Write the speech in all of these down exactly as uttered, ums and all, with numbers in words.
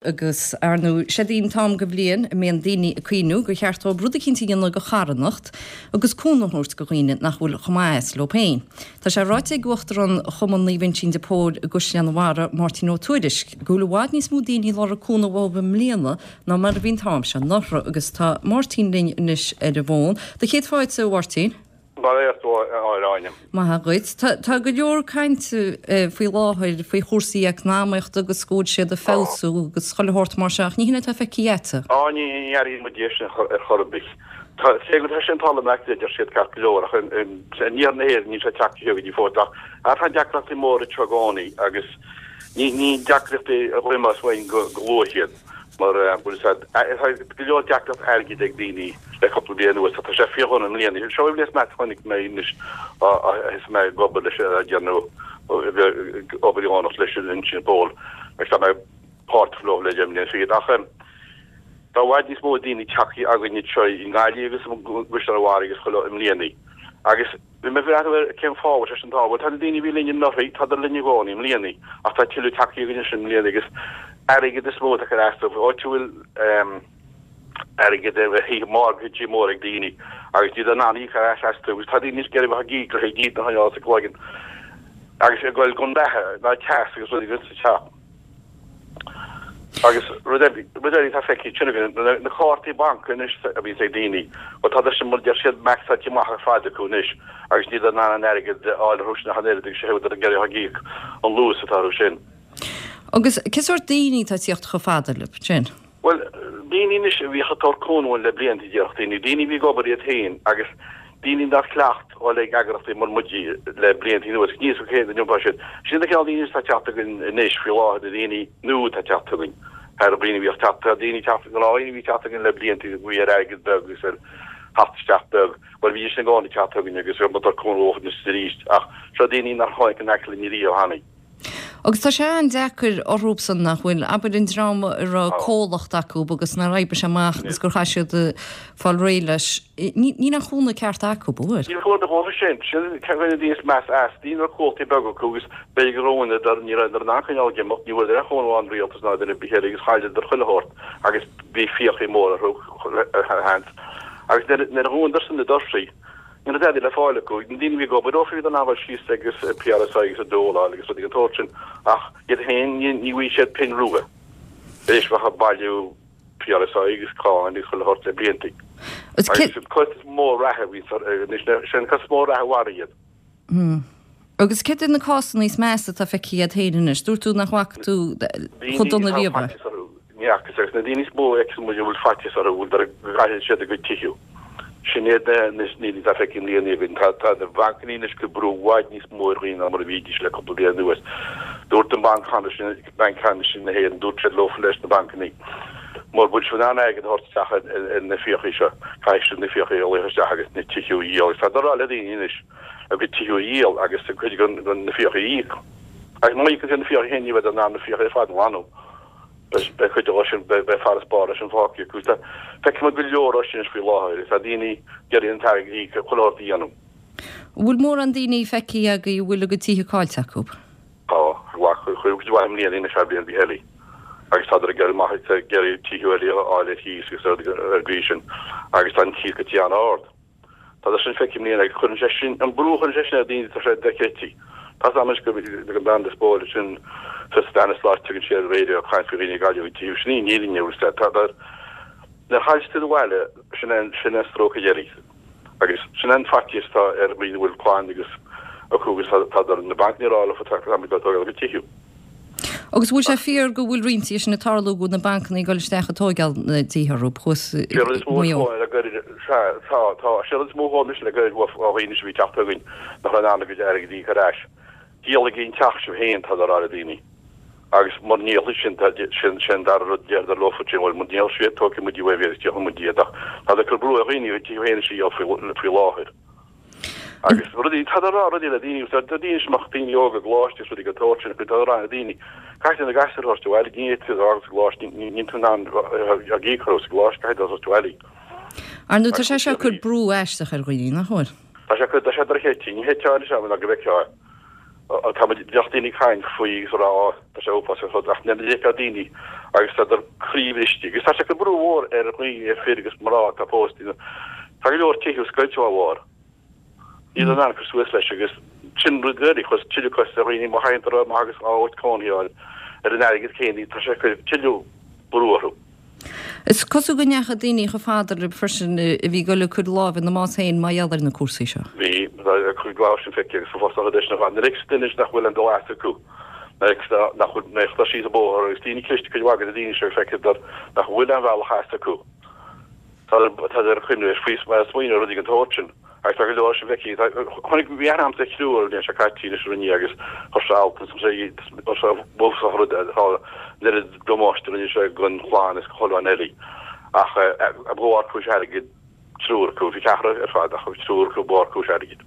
Agus ar ndóigh sé an t-am go bhliain a mbíonn daoine ag cuimhniú gur cheart dóibh rud eicínt a dhéanamh go charthanacht agus cúnamh a thabhairt go dhaoine nach bhfuil chomh maith is leo féin. Tá sé ráite ag Uachtarán Chumann Naomh Uinseann de Pól i gCaisleán an Bharraigh, Máirtín Ó Tuairisg, go bhfuil i bhfad níos mó daoine ag lorg cúnamh uathu i mbliana ná mar a bhí an t-am seo anuraidh agus tá Máirtín linn anois ar an bhfón. Do chéad fáilte, a Mháirtín. Bail ó Dhia ort, a Áine. Maith dhuit. Tá tá go leor cainte faoi láthair faoi chúrsaí eacnamaíochta agus go bhfuil siad ag feabhsú agus chuile shórt mar seo ach ní hin atá feicthe agatsa. Á ní ní airíonn muid é sin ar chor ar bith. Tá sé go tá sé an talamh acu a deir siad ceart go leor ach in iarthar na hÉireann níl sé tagtha go dtí fós ach tá deacrachtaí móra anseo i gcónaí agus ní ní deacrachtaí a ghliomas uainn go go luath iad. Mar bhfuil a fhios a'd, tá go leor deacracht airgid ag daoine le cúpla bliain anuas, tá sé fíordhona i mbliana. Seo í an bhliain is measa a chonaic mé anois ó thosaigh mé ag obair leis an déanamh obair dheonach leis an Uinseann de Pól agus tá mé páirteach leo le deich mbliana fichead. Ach tá i bhfad níos mó daoine tagtha againn anseo i nGaillimh agus i gCaisleán an Bharraigh agus chuile i mbliana. Agus bhí mé ag breathnú ar cén fáth a bhfuil sé sin tá, bhuel tá na daoine a bhí linn anuraidh, tádar linn i gcónaí i mbliana, ach tá tuilleadh tagtha againn anois i mbliana agus airgead is mó atá ag cur as dóibh, áit a bhfuil airgead ar thithe mortgageí móra ag daoine agus níl in ann íoc ar ais astu agus tá daoine ag iarraidh a bheith ag íoc le haghaidh dídean a choinneáil sa gcloigeann agus ag goil gan beatha ná teas agus rudaí sa teach. Agus rud eile atá feicthe ansin againn, na cártaí banc anois a bhíonns ag daoine, bhuel tá siad mar deir siad maxáilte amach ar fad acu anois agus níl in ann an airgead a fháil orthu sin ach an oiread agus sé ag iarraidh ag íoc an luas atá orthu sin. Agus cé sórt daoine atá ag tíocht chomh fada libh sin? Bhuel, daoine anois a bhíodh ag tabhairt cúnamh dúinn le blianta, déarfadh daoine, daoine a bhí ag obair iad féin agus daoine nár chleacht dhul ag eagrachtaí mar muid le blianta anuas, níl a fhios acu cén iompar siad. Sin na cineál daoine atá ag teacht chugainn anois faoi láthair, na daoine nua atá ag teacht chugainn, thar dhaoine a bhíodh ag teacht, tá daoine ag teacht, gnáthdhaoine a bhí ag teacht chugainn le blianta a bhí ar airgead beag agus ar theacht isteach beag, bhuel bhídís i gcónaí ag teacht chugainn agus bhí muid ag cúnamh leo anois arís ach seo daoine nár tháinig in aice linn riamh cheana. Agus tá sé an-deacair orthubsan nach bhfuil, abair an dream a raibh comhlacht acu agus nár oibrigh sé amach agus gur chaith siad fáil réidh leis, níl an chúnamh ceart acu, an bhfuil? Níl cúnamh dóibh sin. Sin ceann de na daoine is measa as. Daoine a raibh comhlachtaí beaga acu agus b'fhéidir gur dhúnadar, ní rabhadar in ann coinneáil ag imeacht, ní bhfuaireadar aon chúnamh ón rialtas ná duine ar bith eile agus chailleadar chuile shórt agus bhí fiacha móra orthu, seans. Agus nuair a dhúnadar san na doirsí, Ní raibh dadaí le fáil acu. Na daoine a bhí ag obair dófa bhíodar in ann dul síos agus PRSI agus an dole a fháil agus rudaí den tsórt sin ach iad féin ní bhfaighidh siad pingin rua. Tar éis bheith ag bailiú PRSI agus cáin agus chuile shórt le blianta. Agus an costas mór reatha a bhí anois, sin an costas mór reatha a mharaigh iad. Agus céard iad na cásanna is measa atá feicthe agat féin anois? Dúirt tú nach bhfaca tú chomh dona Daoine riamh atá é. faitíos orthu, ní fhacas, agus na daoine is mó a fheiceann muid a bhfuil faitíos orthu, bhfuil go gcaillfidh siad a gcuid tithe. Sin iad na daoine atá feicthe i mbliana againn. Tá tá na bancanna anois ag cur brú i bhfad níos mó ar dhaoine ná mar a bhídís le cúpla bliain anuas. Dúirt an Banc Ceannais, Banc Ceannais na hÉireann, dúirt siad leofa leis na bancanna, mura bhfuil sibh in ann airgead a thabhairt isteach ar na fiacha seo, caithfidh sibh na fiacha a ghlaoch isteach agus na tithe a dhíol. Agus tá siad ag rá le daoine anois a gcuid tithe a dhíol agus cuid de na fiacha a íoc. Agus má íocann siad na fiacha féin ní bheidh in ann na fiacha ar fad a ghlanadh. Beidh cuid de sin, beidh farasbarr leis sin fágtha acu. Tá, feicfidh muid go leor de sin anois faoi láthair. Tá daoine ag iarraidh an t-airgead a íoc, chuile shórt a dhéanamh. An bhfuil mórán daoine feicthe agaibh a bhfuil a gcuid tithe caillte acu? Tá, chuid mhaith i mbliana anois thar bliain bhí eile. Agus tádar ag iarraidh maith ag iarraidh tithe eile a fháil ar chíos agus ar an gcaoi sin. Agus tá an cíos go dtí an-ard. Tá sé sin feicthe i mbliana agus cuireann sé sin, an brú a chuireann sé sin ar dhaoine, tá sé dochreidte. Tá a fhios agam anois go ag an bean de sin sa Stanislaus tugann sí ar an raidió ag caint faoi dhaoine ag cailleadh a dtithe, sin í an fhírinne, bhfuil a fhios agat. Tá, nuair a chailleann tú do bhaile, sin é an, sin é an stróc dheiridh. Agus sin é an faitíos atá ar dhaoine a bhfuil clann agus acu agus tá, tá na bancanna ag rá leofa tá, tá muid ag tógáil a gcuid tithe. Agus bhfuil sé fíor go bhfuil roinnt de sin ag tarlú go bhfuil na bancanna ag dul isteach ag tóigeáil na dtithe orthu thuas i Sé rud is mó Maigh Eo? le gairid, sea, tá, tá, sé rud is mó chomh mise le gairid ó dhaoine a bhí ag teacht chugainn nach raibh in ann a gcuid airgid a íoc ar ais. Díolaigí an teach sibh féin, tá a rá le daoine. Agus mura ndíolfaidh sin, tá, sin, sin an dara rud déarfadar leofa sin, bhuel, mura ndíolfaidh siad, tógfaidh muid uaibh iad agus díolfaidh muid iad ach tá ag cur brú ar dhaoine a gcuid tithe féin a dhíol faoi, faoi láthair. Agus rudaí, tá a rá rudaí le daoine, tá daoine is mach daoine óga i gcoláiste is rudaí den tsórt sin, tá a rá le daoine, caithfidh na gasúir a thabhairt abhaile, ní fhéadfaidh tú a fhágáil sa gcoláiste, níl tú in ann ag íoc orthu sa gcoláiste, caithfidh tú a thabhairt abhaile. Ar ndóigh, tá sé seo ag cur brú aisteach ar dhaoine, nach bhfuil? Tá sé, tá sé dochreidte, ní thuigfeá anois ná go bhfeicfeá é. Tá muid, bheadh daoine ag caint faoi agus a rá, tá sé uafásach ar fad, ach nuair a d'fheicfeá daoine Agus tádar croíbhriste agus tá sé ag cur brú mhór ar dhaoine, ar fir agus mná atá pósta. Tá go leor tithe scoilte dá bharr. Níl in ann cur suas leis agus sin rud eile, chuir tuilleadh costas ar dhaoine má thagann orthu amach agus áit cónaí a fháil ar an airgead céanna, tá sé ag cur tuilleadh brú orthu. Is cosúil go ndeachaigh daoine chomh fada libh freisin a bhí ag dul ag cur lámh ina mbás féin mar gheall ar na cúrsaí seo. Bhí, tá cuid mhaith sin feicthe agus fós tá deis na nuair a fheiceanns duine nach bhfuil aon dul as acu, nuair a nach bhfuil, nuair atá siad sa bóthar agus daoine cliste cuid mhaith de na daoine seo feictear nach bhfuil aon bhealach as acu. Tá tá ar chuimhne ar faoi mar smaoineamh ar rudaí den tsórt sin. Agus tá go leor sin feicthe. Chonaic bhí aithne a'msa ar thriúr an bhliain seo caite anois a rinne agus chuir sé alt is sé chuir sé bhfosach rud tá an oiread damáiste a rinne sé don chlann is do chuile dhuine eile. Ach ba mhór cúis airgid triúr acu, bhí ceathrar ar fad ach bhí triúr acu ba mhór cúis airgid.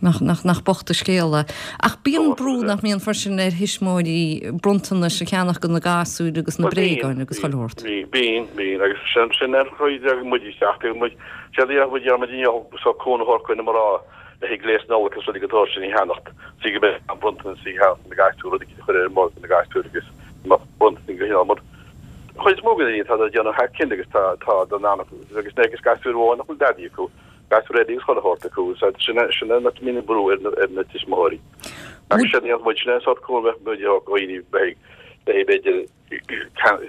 Nach, nach, nach bocht an scéal é. Ach bíonn brú nach mbíonn freisin ar thuismitheoirí bronntanais a cheannach do na gasúir agus na bréagáin agus chuile shórt. Bíonn, bíonn, bíonn agus sin, sin ar chuid de muid isteach, tugann muid, séard a dhéanann muid, déanann muid inniu so cúnamh a thabhairt do na mná le haghaidh gléas Nollag agus rudaí den tsórt sin a cheannacht, so go mbeidh an bronntanas a cheannacht do na gasúir, rudaí a chur ar an mbord do na gasúir agus bronntanas go cineál mar chuid is mó de na daoine tá ag déanamh thar cionn agus tá, tá don anam agus na agus gasúir amháin nach bhfuil dadaí acu. Gasúir eile agus chuile shórt acu, so sin sin an mbíonn brú ar na ar na tuismitheoirí. Agus sin an muid sin an sórt cúram bheith muid ó dhaoine beidh beidh b'fhéidir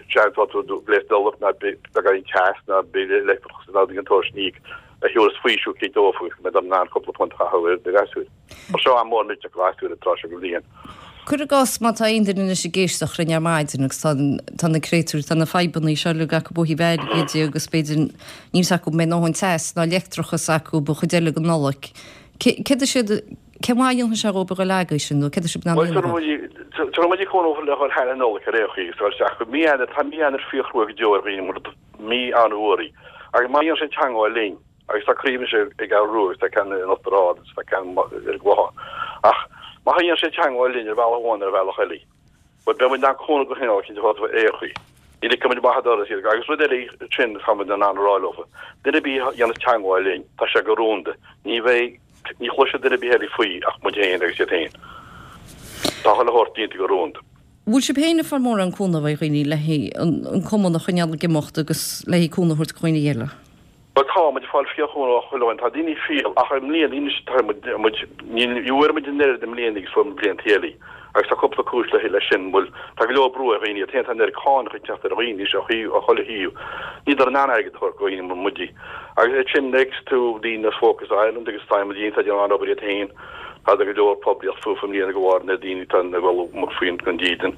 seans tú gléas Nollag ná beagáinín teas ná bille leictreachas ná rudaí den tsórt sin a íoc a thabharfas faoiseamh cé dófa agus go mbeidh in ann cúpla punt a chaitheamh ar na gasúir. Mar seo am mór millteach do ghasúir an tráth seo den bhliain. Cuir i gcás má tá aon duine anois ag éisteacht linn ar maidin agus tá tá na créatúir, tá na fadhbanna seo uilig acu ó thaobh airgid de agus b'fhéidir níl fhios acu an mbeidh a ndóthain teas ná leictreachas acu don chuid eile den Nollaig. Céard is iad, cén mhaith a dhéanfaidh sé dhóibh a dhul agaibh sin nó céard atá sibh in ann a dhéanamh dhóibh? Tabharfaidh muid cúnamh le dhul thar an Nollaig ar aon chaoi agus dul isteach go mí Eanáir, tá mí Eanáir fíorchrua go deo ar dhaoine mar mí an-fhuar í agus má dhéanann siad teagmháil linn, Agus tá craobh anois i gCeathrú Rua agus tá ceann in Uachtar Ard agus tá ceann ar an gClochán. Ach má théann siad i dteangmháil linn ar bhealach amháin nó ar bhealach eile, bhuel, beidh muid in ann cúnamh de chineál eicínt a thabhairt dóibh ar aon chaoi. Ní ligfidh muid amach an doras iad. Agus rud eile sin tá muid in ann a rá leofa, duine ar bith a dhéanas teangmháil linn, tá sé go rúnda. Ní bheidh, ní chloisfidh duine ar bith eile faoi ach muid féin agus iad féin. Tá chuile shórt déanta go rúnda. Bhfuil sibh féin ag fáil mórán cúnamh ó dhaoine le haghaidh an cumann a choinneáil ag imeacht agus le haghaidh cúnamh a thabhairt do dhaoine eile? Bhuel tá muid ag fáil fíorchúnamh ó chuile dhuine, tá daoine fial ach i mbliana anois tá muid, muid, ní bhfuair muid an oiread i mbliana agus fuair muid blianta eile agus tá cúpla cúis le leis sin, bhuel tá go leor brú ar dhaoine, iad féin tá an oiread cánacha ag teacht ar dhaoine anois ó thaobh, ó chuile thaobh, níl in ann airgead a thabhairt do dhaoine mar muide agus é sin next to daoine as Focus Ireland agus tá muid iontach ag déanamh an-obair iad féin, tá go leor poiblíocht fúthu i mbliana de bharr na daoine atá ag dul amach faoin don dídean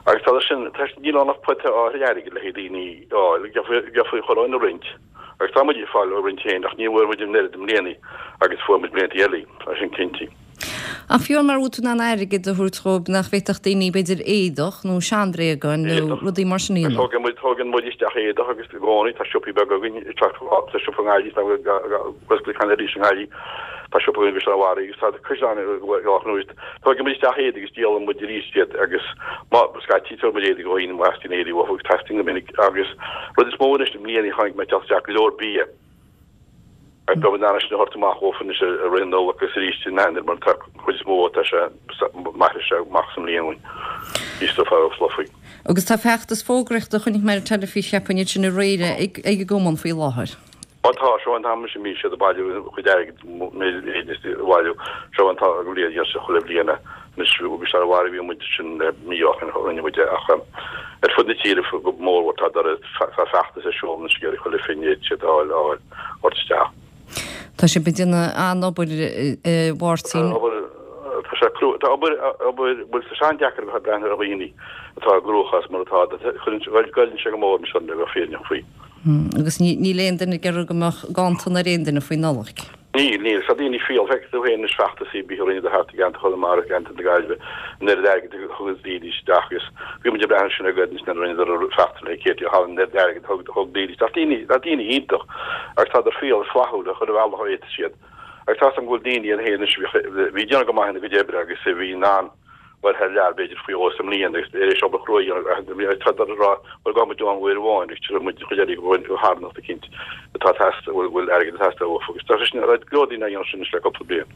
agus tá sin, tá, níl ann ach pota áirithe airgid le haghaidh daoine a fháil, gheofaí chuile dhuine a roinnt. Agus tá muid ag fáil a roinnt féin, ach ní bhfuair muid an oiread i mbliana agus fuair muid blianta eile, tá sin cinnte. Ach fiú mara bhfuil tú in ann airgead a thabhairt dhóibh, nach bhféadfadh daoine b'fhéidir éadach nó seanbhréagáin nó rudaí mar sin a dhéanamh? Tógann muid, tógann muid isteach éadach agus i gcónaí tá siopaí beaga againn, tá siopa i nGaillimh, tá oscailte cheana arís i nGaillimh, tá siopa againn i gCaisleán an Bharraigh agus tá caisleán i Loch Nua. Tógann muid isteach éadaí agus díolann muid arís iad agus má scaití tugann muid éadaí do dhaoine má theastaíonn éadaí uathu agus teastaíonn go minic agus rud is mó anois i mbliana chonaic mé teacht isteach go leor bia agus beidh muid in ann é sin a thabhairt amach dhófa anois i rith na Nollag agus arís in Eanáir mar tá cuid is mó tá sé mairfidh sé amach sa mbliain uainn. Bhí stuif á fluffy. Agus tá feachtas fógraíochta a chonaic mé ar an teilifís cheapfainn iad sin aréir ag ag an gcumann faoi láthair. Ó tá, seo an t-am anois a mbíonn siad ag bailiú a gcuid airgid, a bhailiú. Seo an t-am den bhliain, dhéanann siad chuile bhliain é. Anois, agus ar bharr bhí muid sin mí ó shin a rinne muid é ach ar fud na tíre go mórmhór tá tá feachtas ar siúl anois ag iarraidh chuile phingin a fhéadfaidh siad a fháil a fháil thabhairt isteach. Tá sibh ag déanamh an-obair a Mháirtín. Tá obair, tá sé crua, tá obair, obair, bhuel tá sé an-deacair a bheith ag breathnú ar dhaoine atá i gcruachás mar atá, cuireann, goilleann sé go mór anois orm le bheith fírinneach faoi. Agus níl aon duine ag iarraidh go mbeadh ganntan ar aon duine faoi Nollaig. Níl, níl. Tá daoine fial. Feicfidh tú féin anois feachtas ar bith a rinneadar thart i gceantar Chonamara, i gceantar na Gaillimhe, an oiread airgid a thug daoine isteach agus bhí muid ag breathnú sin againn anois nuair a rinneadar an feachtas le Katie O'Halloran, an oiread airgid a thug thug daoine isteach. Daoine, tá daoine iontach agus tádar fial is flaithiúil chuile bhealach a fhéadfaidh siad. Agus tá 'fhios agam go bhfuil daoine iad féin anois a bhí ag déanamh go maith ina gcuid oibre agus a bhí in ann dul thar lear b'fhéidir faoi dhó sa mbliain agus tar éis obair chrua a dhéanamh agus tá ag rá bhuel gabhfaidh muid ann uair amháin agus tabharfaidh muid an chuid eile go charthanacht eicínt atá ag teastáil, bhfuil airgead ag teastáil uafa agus tá sé sin, go leor daoine á dhéanamh sin anois le cúpla bliain.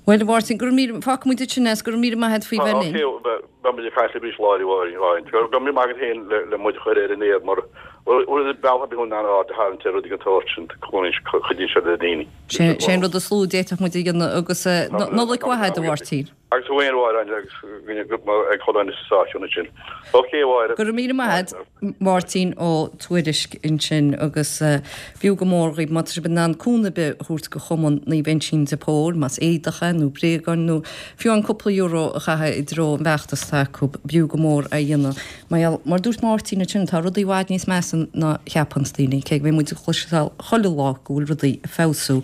Bhuel a Mháirtín, go raibh míle, fágfaidh muid ansin é is go raibh míle maith agat faoi bheith linn. Beidh muid ag caint libh arís lá eile. Go raibh míle maith agat féin le muid a chur ar an aer mar rud bealach ar bith chun aird a tharraingt ar rudaí den tsórt sin, cuidíonn sé le daoine. Sé an rud is lú a d'fhéadfadh muid a dhéanamh agus Nollaig mhaith agat a Mháirtín. Agus thú féin a Mháire agus ag chuile dhuine sa stáisiún ansin. Ok a Mháire. Go raibh míle maith agat Máirtín Ó Tuairisg ansin agus b'fhiú go mór dhaoibh má tá sibh in ann cúnamh ar bith a thabhairt go Chumann Naomh Uinseann de Pól, más éadach é nó bréagáin nó fiú an cúpla euro a chaitheamh i dtreo an bhfeachtas atá acu, b'fhiú go mór é a dhéanamh. Mar gheall, mar dúirt Máirtín ansin, tá rudaí i bhfad níos measa ná cheapanns daoine, cé go mbíonn muid ag cloisteáil chuile lá go bhfuil rudaí ag feabhsú.